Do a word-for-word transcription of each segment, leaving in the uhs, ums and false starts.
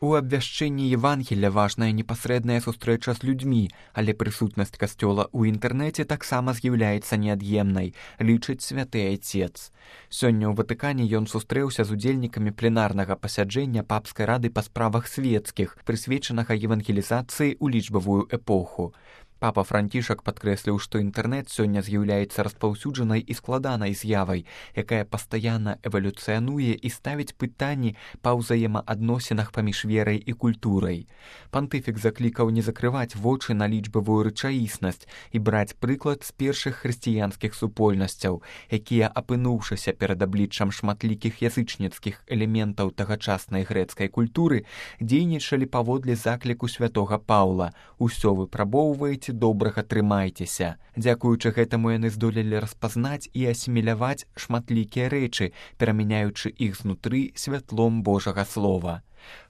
У абвяшчэнні Евангелля важная непасрэдная сустрэча з людзьмі, але прысутнасць касцёла ў інтэрнэце таксама з'яўляецца неад'емнай, лічыць святы айцец. Сёння ў Ватыкане ён сустрэўся з удзельнікамі пленарнага пасяджэння папскай рады па справах свецкіх, прысвечанага евангелізацыі ў лічбавую эпоху. Папа Францішак падкрэсліў, што інтэрнэт сёння з'яўляецца распаўсюджанай і складанай з'явай, якая пастаянна эвалюцыянуе і ставіць пытанні па ўзаемаадносінах паміж верай і культурай. Пантыфік заклікаў не закрываць вочы на лічбавую рэчаіснасць і браць прыклад з першых хрысціянскіх супольнасцяў, якія, апынуўшыся перад абліччам шматлікіх язычніцкіх элементаў тагачаснай грэцкай культуры, дзейнічалі паводле закліку святога Паўла: «Усё выпрабоўваеце, добрага трымайцеся». Дзякуючы гэтаму яны здолелі распазнаць і асіміляваць шматлікія рэчы, перамяняючы іх знутры святлом Божага слова.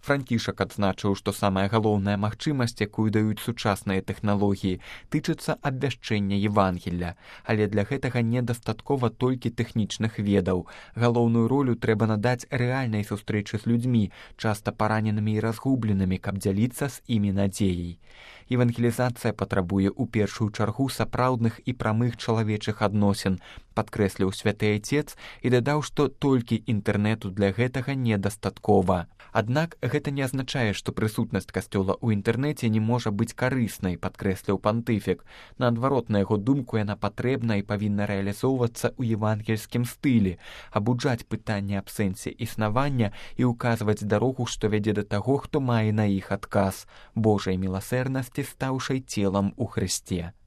Францішак адзначыў, што самая галоўная магчымасць, якую даюць сучасныя тэхналогіі, тычыцца абвяшчэння Евангелля, але для гэтага недастаткова толькі тэхнічных ведаў. Галоўную ролю трэба надаць рэальнай сустрэчы з людзьмі, часта параненымі і разгубленымі, каб дзяліцца з імі надзеяй. Евангелізацыя патрабуе ў першую чаргу сапраўдных і прамых чалавечых адносін, падкрэсліў святы айцец і дадаў, што толькі інтэрнэту для гэтага недастаткова. Аднак гэта не азначае, што прысутнасць касцёла ў інтэрнэце не можа быць карыснай, падкрэсліў пантыфік. Наадварот, на яго думку, яна патрэбна і павінна рэалізоўвацца ў евангельскім стылі, абуджаць пытанні аб сэнсе існавання і ўказваць дарогу, што вядзе да таго, хто мае на іх адказ — Божай міласэрнасці, стаўшай целам у Хрысце.